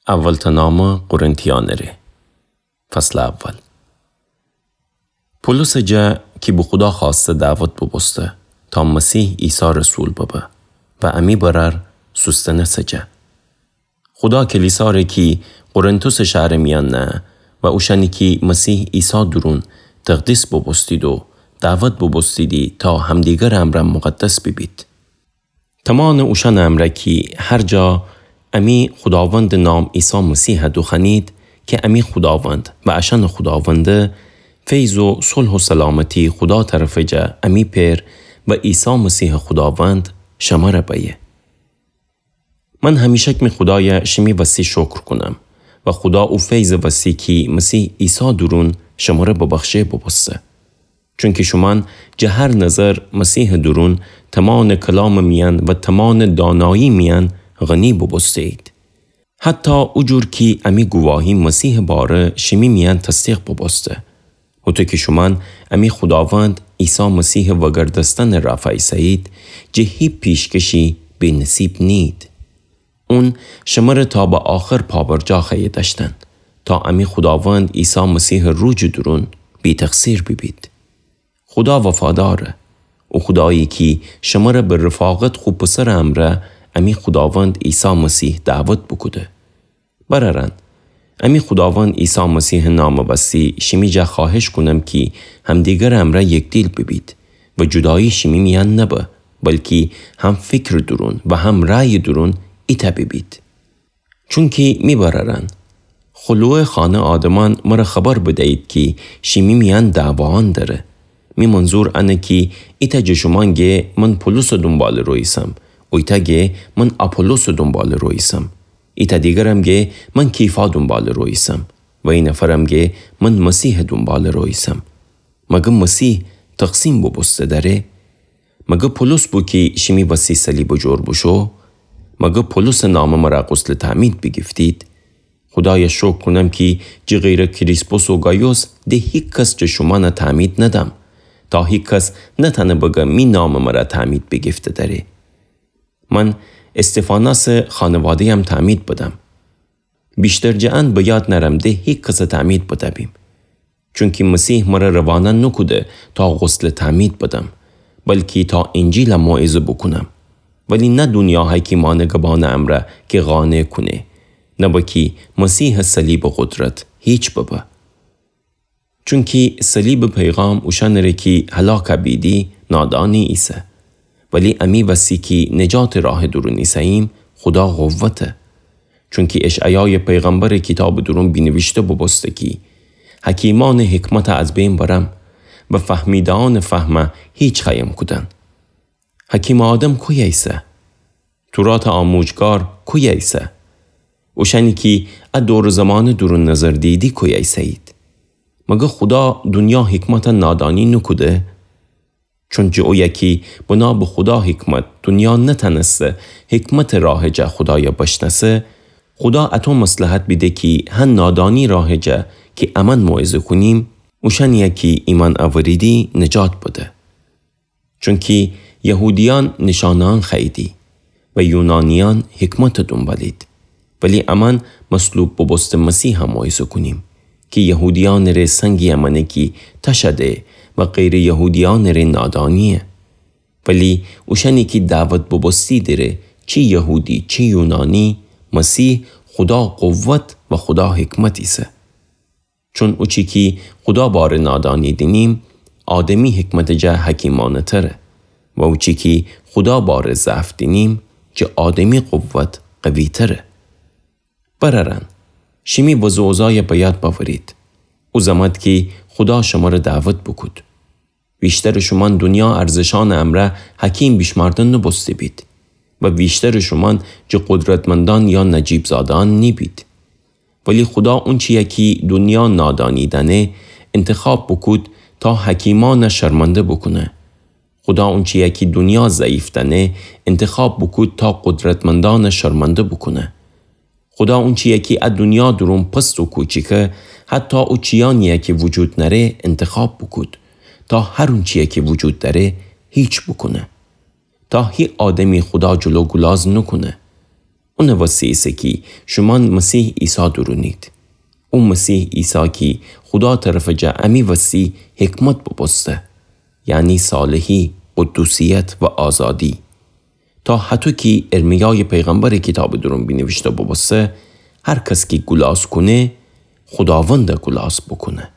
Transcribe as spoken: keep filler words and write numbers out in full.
اولتأ نامه قرنتیأنٚ ره. فصلٚ اول. پولوسٚ جا کی به خودا خوأسته دعوت بوبوسته تا مسیح عیسی رسول ببه و امی برأر سوستنسٚ جا. خودا کلیسا ره کی قرنتوسٚ شهرٚ میأن نهه و اوشأنی کی مسیح عیسی دورون تقدیس بوبوستید و دعوت بوبوستیدی تا همدیگرٚ امرأ مقدس بیبید. تمانٚ اوشأنٚ امرأ کی هر جا امی خوداوندٚ نام عیسی مسیح دوخوأنید کی امی خوداوند و اشأنٚ خوداونده، فیض و صلح و سلامتی خودا طرفٚ جا امی پئر و عیسی مسیحٚ خوداوند شمره بأیه. من همیشک می خودای شیمی وسی شکر کونم و خودا او فیضٚ وسی کی مسیح عیسی دورون شمره ببخشه بوبوسته. چونکی شومأن جٚه هر نظر مسیحٚ دورون تمانٚ کلامٚ میأن و تمانٚ دانایی میأن غنی بوبوسته‌یید. حتی او جور کی امی گواهی مسیحٚ باره شیمی میأن تصدیق بوبوسته. هوطو کی شومأن امی خوداوند عیسی مسیحٚ وگردستنٚ رافا ایسه‌یید، جٚه هی پیشکشی بی‌نصیب نیید. اون شمره تا به آخر پابرجا خوأیه دأشتن، تا امی خوداوند عیسی مسیحٚ روجٚ دورون بی‌تقصیر بیبید. خودا وفاداره. او خودایی کی شمره به رفاقت خو پسرٚ امرأ امی خوداوند عیسی مسیح دعوت بوکوده. برأرأن، امی خوداوند عیسی مسیحٚ نامٚ وسی شیمی جا خوأهش کونم کی همدیگرٚ امرأ یکدیل بیبید و جودایی شیمی میأن نبه، بلکی هم فیکرٚ دورون و هم رأیٚ دورون ایتأ بیبید. چونکی می برأرأن، خلوه خانه آدمأن مره خبر بدیید کی شیمی میأن دعواأن دره. می منظور انه کی ایتأ جٚه شومأن گه من پولوسٚ دونبالٚ رو ایسم، اویتأ گه من آپولوسٚ دونبالٚ رو ایسم، ایتأ دیگرم گه من کیفا دونبالٚ رو ایسم و ای نفرم گه من مسیحٚ دونبالٚ رو ایسم. مگه مسیح تقسیم بوبوسته دأره؟ مگه پولوس بو کی شیمی وسی صلیبٚ جور بوشو؟ مگه پولوسٚ نامٚ مرا غسلٚ تعمید بیگیفتید؟ خودای شکر کونم کی جٚه غیرٚ کریسپوس و گایوس ده هیکس جٚه شومأن تعمید ندم، تا هیکس نتأنه بگه می نامٚ مرا تعمید بیگیفته دأره. من استفاناسٚ خانواده‌یم تعمید بدم. ویشتر جٚه ان به یاد نأرم ده هیکس تعمید بده‌بیم. چونکی مسیح مره روانه نوکوده تا غسلٚ تعمید بدم، بلکی تا انجیل موعظه بوکونم. ولی نه دونیا حکیمأنٚ گبانٚ امرأ کی قانع کونه، نبه کی مسیحٚ صلیبٚ قدرت هیچ ببه. چونکی صلیبٚ پیغام اوشأنٚ ره کی هلاک بیدی نادانی ایسه، ولی امی وسی کی نجاتٚ راهٚ دورون ایسه‌ییم خودا قوته. چونکی اشعیایٚ پیغمبرٚ کیتابٚ دورون بینیویشته بوبوسته کی حکیمأنٚ حکمت از بین برم و فهمیده‌یأنٚ فهم هیچ خوأیم کودن. حکیمٚ آدم کویه ایسه؟ توراتٚ آموجگار کویه ایسه؟ اوشأنی کی ا دور زمانٚ دورون نظر دیدی کویه ایسه‌یید؟ مگه خودا دونیا حکمت نادانی نوکوده؟ چون جٚه اویه کی بنا به خودا حکمت دونیا نتأنسته حکمتٚ راهٚ جا خودای بشنأسه، خودا اطو مصلحت بیده کی هن نادانی راهٚ جا کی امأن موعظه کونیم، اوشأنیی کی ایمأن اوریدی نجات بده. چونکی یهودیأن نیشانه‌یأن خوأییدی و یونانیأن حکمتٚ دونبالید. ولی امأن مصلوب بوبوسته مسیح موعظه کونیم کی یهودیأنٚ ره سنگی امأنه کی تشه ده و غیرٚ یهودیأنٚ ره نادانییه. ولی اوشأنی کی دعوت بوبوستیدی ره، چی یهودی چی یونانی، مسیح خودا قوت و خودا حکمت ایسه. چون اوچی کی خودا باره نادانی دینیم، آدمی حکمتٚ جا حکیمأنه‌تره و اوچی کی خودا باره ضعف دینیم، جٚه آدمی قوت قوی‌تره. برأرأن، شیمی وضع و اوضاعی به یاد بأورید. او زمأت کی خودا شمره دعوت بوکود. ویشترٚ شومأن دونیا ارزشأنٚ امرأ حکیم بیشمأرده نوبوسته‌بید و ویشترٚ شومأن جٚه قدرتمندأن یا نجیب‌زاده‌یأن نیبید. ولی خودا اونچیی کی دونیا نادانی دأنه انتخاب بوکود تا حکیمأن شرمنده بوکونه. خودا اونچیی کی دونیا ضعیف دأنه انتخاب بوکود تا قدرتمندأن شرمنده بوکونه. خودا اونچیی کی ا دونیا دورون پست و کوچیکه، حتی او چیأنیی کی وجود نأره انتخاب بوکود، تا هر اونچیی کی وجود دأره هیچ بوکونه. تا هی آدمی خودا جلو گولاز نوکونه. اونٚ وسی ایسه کی شومأن مسیح عیسی دورونید. او مسیح عیسی کی خودا طرفٚ جا امی وسی حکمت بوبوسته، یعنی صالحی، قدوسیت و آزادی. تا هطو کی ارمیایٚ پیغمبرٚ کیتابٚ دورون بینیویشته بوبوسته، هر کس کی گولاز کونه، خوداوند گولاز بوکونه.